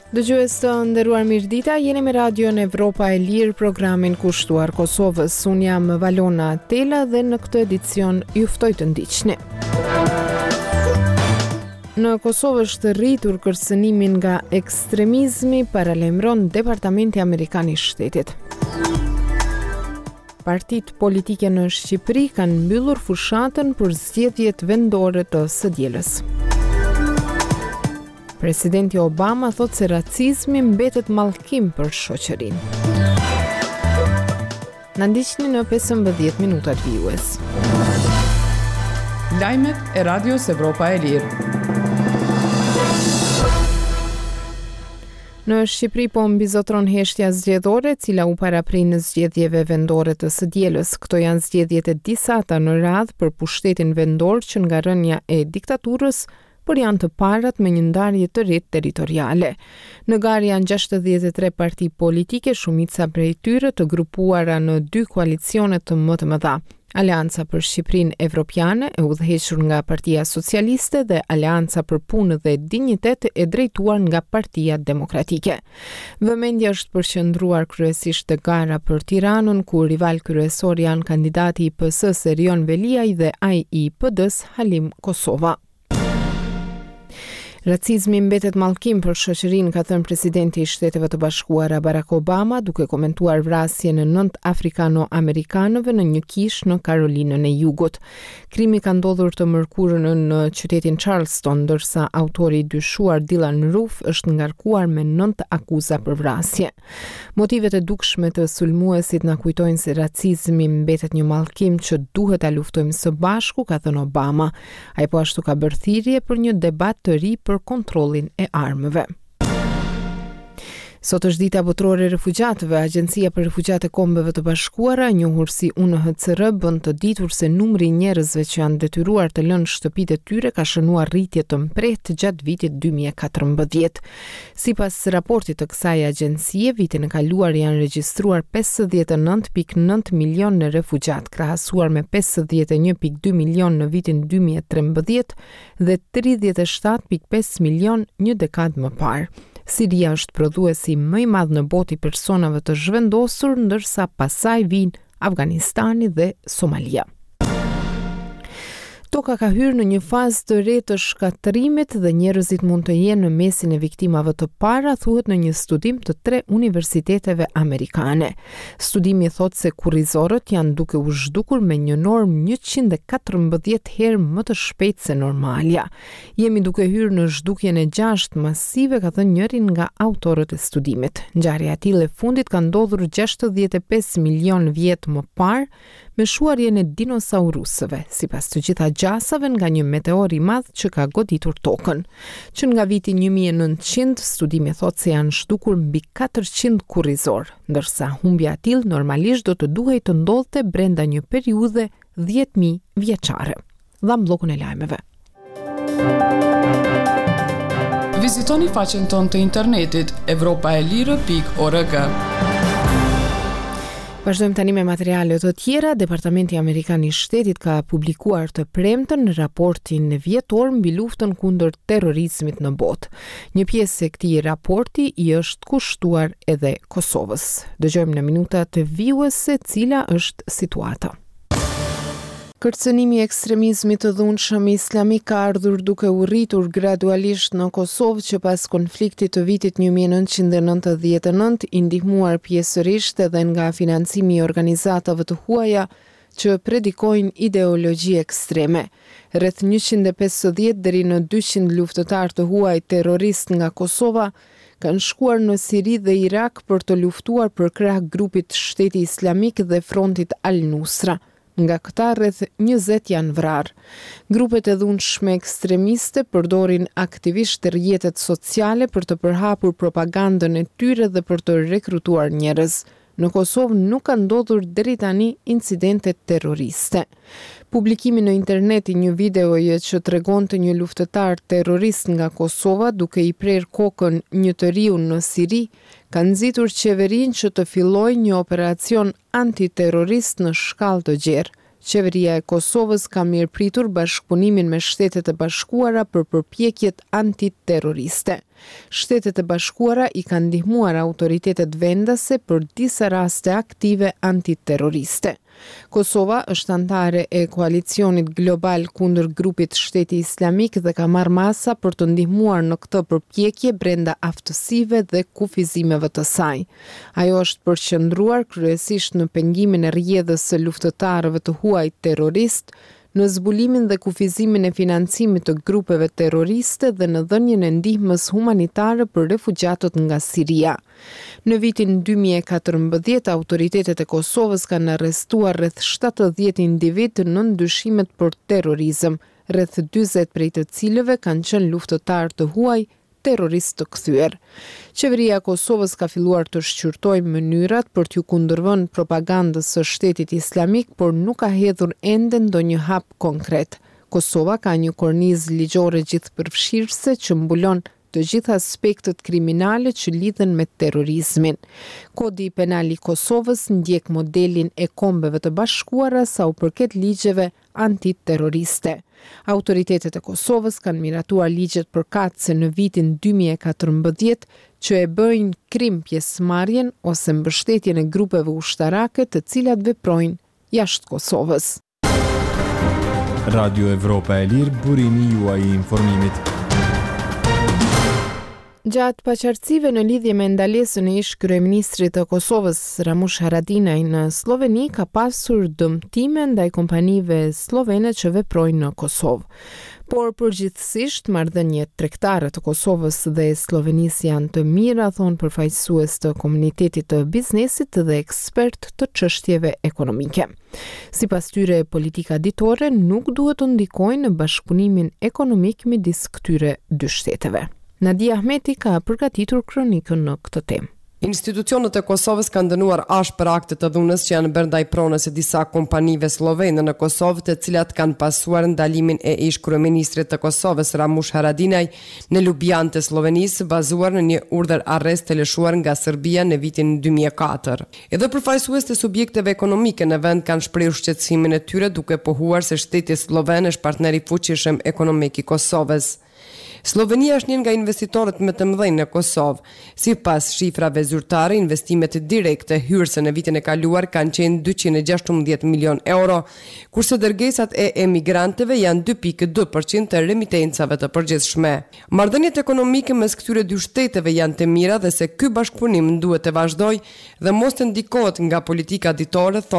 Dëgjues të nderuar mirëdita, jeni me Radion Evropa e Lirë, programin kushtuar Kosovës. Unë jam Valona Tela dhe në këtë edicion ju ftoj të ndiqni. Në Kosovë është rritur kërcënimi nga ekstremizmi, paralajmëron Departamenti Amerikan i Shtetit. Partitë politike në Shqipëri kanë mbyllur fushatën për zgjedhjet vendore të së dielës. Presidenti Obama thotë se racizmi mbetet mallkim për shoqërinë. Na ndiqni në 15 minutat vijues. Lajmet e Radios Evropa e Lirë. Në Shqipëri po mbizotëron heshtja zgjedhore, e cila u paraprin zgjedhjeve vendore të së dielës. Këto janë zgjedhjet e disata në radhë për pushtetin vendor që nga rënia e diktaturës, por janë të parat me një ndarje të re territoriale. Në garë janë 63 parti politike, shumica prej tyre të grupuara në dy koalicionet më të mëdha. Aleanca për Shqipërinë Evropiane, e udhëhequr nga Partia Socialiste dhe Aleanca për Punë dhe Dinjitet e drejtuar nga Partia Demokratike. Vëmendja është përqendruar kryesisht te gara për Tiranën, ku rivalë kryesorë janë kandidati i PS-së Erion Veliaj dhe ai i PD-së Halim Kosova. Racizmi mbetet mallkim për shoqërinë, ka thënë presidenti i Shteteve të Bashkuara Barack Obama, duke komentuar vrasjen e nëntë afrikano-amerikanëve në një kishë në Karolinën e Jugut. Krimi ka ndodhur të mërkurën në qytetin Charleston, ndërsa autori i dyshuar Dylann Roof është ngarkuar me nëntë akuza për vrasje. Motivet e dukshme të sulmuesit na kujtojnë se racizmi mbetet një mallkim që duhet ta luftojmë së bashku, ka thënë Obama. Ai po ashtu ka bërë thirrje për një debat të ri për kontrollin e armëve. Sot është dita botërore e refugjatëve. Agjencia për Refugjatë e Kombeve të Bashkuara, e njohur si UNHCR, bën të ditur se numri i njerëzve që janë detyruar të lënë shtëpitë e tyre ka shënuar rritje të mprehtë gjatë vitit 2014. Sipas raportit të kësaj agjencie, vitin e kaluar janë regjistruar 59.9 milionë refugjatë, krahasuar me 51.2 milionë në vitin 2013 dhe 37.5 milionë një dekadë më parë. Siria është prodhuesi më i madh në botë i personave të zhvendosur, ndërsa pas saj vijnë Afganistani dhe Somalia. Toka ka hyrë në një fazë të re të shkatërrimit dhe njerëzit mund të jenë në mesin e viktimave të para, thuhet në një studim të tre universiteteve amerikane. Studimi thotë se kurrizorët janë duke u zhdukur me një normë 114 herë më të shpejtë se normalja. Jemi duke hyrë në zhdukjen e gjashtë masive, ka thënë njëri nga autorët e studimit. Ngjarja e tillë e fundit ka ndodhur 65 milionë vjet më parë me shuarjen e dinosaurusëve, sipas të gjitha gjasave nga një meteor i madh që ka goditur Tokën. Që nga viti 1900, studimi thotë se janë zhdukur mbi 400 kurrizorë, ndërsa humbja e tillë normalisht do të duhej të ndodhte brenda një periudhe 10.000 vjeçare. Dhamë bllokun e lajmeve. Vizitoni faqen tonë të internetit evropaelire.org. Vazhdojmë tani me materiale të tjera. Departamenti Amerikan i Shtetit ka publikuar të premten raportin vjetor mbi luftën kundër terrorizmit në botë. Një pjesë e këtij raporti i është kushtuar edhe Kosovës. Dëgjojmë në minutat vijuese cila është situata. Kërcënimi i ekstremizmit të dhunshëm islamik ka ardhur duke u rritur gradualisht në Kosovë që pas konfliktit të vitit 1999, i ndihmuar pjesërisht edhe nga financimi i organizatave të huaja që predikojnë ideologji ekstreme. Rreth 150 deri në 200 luftëtarë të huaj terroristë nga Kosova kanë shkuar në Siri dhe Irak për të luftuar përkrah grupit Shteti Islamik dhe Frontit Al-Nusra. Nga këta rreth 20 janë vrarë. Grupet e dhunshme ekstremiste përdorin aktivisht rrjetet sociale për të përhapur propagandën e tyre dhe për të rekrutuar njerëz. Në Kosovë nuk kanë ndodhur deri tani incidente terroriste. Publikimi në internet i një videoje që tregonte një luftëtar terrorist nga Kosova duke i prerë kokën një të riu në Siri, ka nxitur qeverinë që të fillojë një operacion antiterrorist në shkallë të gjerë. Qeveria e Kosovës ka mirëpritur bashkëpunimin me Shtetet e Bashkuara për përpjekjet antiterroriste. Shtetet e Bashkuara i kanë ndihmuar autoritetet vendase për disa raste aktive antiterroriste. Kosova është anëtare e koalicionit global kundër grupit Shteti Islamik dhe ka marrë masa për të ndihmuar në këtë përpjekje brenda aftësive dhe kufizimeve të saj. Ajo është përqendruar kryesisht në pengimin e rrjedhës së luftëtarëve të huaj terroristë, në zbulimin dhe kufizimin e financimit të grupeve terroriste dhe në dhënien e ndihmës humanitare për refugjatët nga Siria. Në vitin 2014, autoritetet e Kosovës kanë arrestuar rreth 70 individë nën dyshimet për terrorizëm, rreth 40 prej të cilëve kanë qenë luftëtarë të huaj terroristë të kthyer. Qeveria e Kosovës ka filluar të shqyrtojë mënyrat për t'iu kundërvënë propagandës së Shtetit Islamik, por nuk ka hedhur ende ndonjë hap konkret. Kosova ka një kornizë ligjore gjithëpërfshirëse që mbulon të gjithë aspektet kriminale që lidhen me terrorizmin. Kodi Penal i Kosovës ndjek modelin e Kombeve të Bashkuara sa u përket ligjeve antiterroriste. Autoritetet e Kosovës kanë miratuar ligjet përkatëse në vitin 2014 që e bëjnë krim pjesëmarrjen ose mbështetjen e grupeve ushtarake të cilat veprojnë jashtë Kosovës. Radio Evropa e Lirë, burimi juaj i informimit. Gjatë paqartësive në lidhje me ndalesën e ish-kryeministrit të Kosovës, Ramush Haradinaj në Slloveni, ka pasur dëmtime ndaj kompanive sllovene që veprojnë në Kosovë. Por përgjithësisht marrëdhëniet tregtare të Kosovës dhe Sllovenisë janë të mira, thonë përfaqësues të komunitetit të biznesit dhe ekspertë të çështjeve ekonomike. Sipas tyre, politika ditore nuk duhet të ndikojë në bashkëpunimin ekonomik midis këtyre dy shteteve. Nadia Ahmeti ka përgatitur kronikën në këtë temë. Institucionet e Kosovës kanë dënuar ashpër aktet e dhunës që janë bërë ndaj pronës së disa kompanive sllovene në Kosovë, të cilat kanë pasuar ndalimin e ish-kryeministrit të Kosovës, Ramush Haradinaj, në Lubjanë të Sllovenisë, bazuar në një urdhër-arrest të lëshuar nga Serbia në vitin 2004. Edhe përfaqësues të subjekteve ekonomike në vend kanë shprehur shqetësimin e tyre duke pohuar se shteti slloven është partner i fuqishëm ekonomik i Kosovës. Sllovenia është një nga investitorët më të mëdhenj në Kosovë. Sipas shifrave zyrtare, investimet direkte hyrëse në vitin e kaluar kanë qenë 216 milion euro, kurse dërgesat e emigrantëve janë 2.2% të remitencave të përgjithshme. Marrëdhëniet ekonomike mes këtyre dy shteteve janë të mira dhe se ky bashkëpunim duhet të vazhdojë dhe mos të ndikohet nga politika ditore, thonë.